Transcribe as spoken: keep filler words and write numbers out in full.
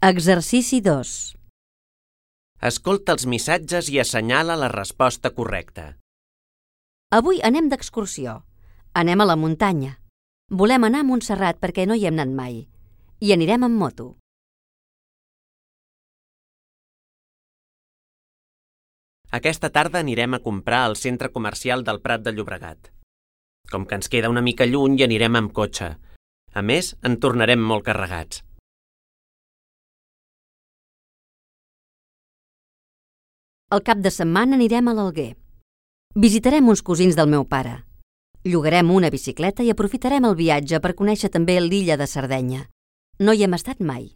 Exercici dos. Escolta els missatges i assenyala la resposta correcta. Avui anem d'excursió. Anem a la muntanya. Volem anar a Montserrat perquè no hi hem anat mai. I anirem amb moto. Aquesta tarda anirem a comprar al centre comercial del Prat de Llobregat. Com que ens queda una mica lluny i anirem amb cotxe. A més, en tornarem molt carregats. Al cap de setmana anirem a l'Alguer. Visitarem uns cosins del meu pare. Llogarem una bicicleta i aprofitarem el viatge per conèixer també l'illa de Sardenya. No hi hem estat mai.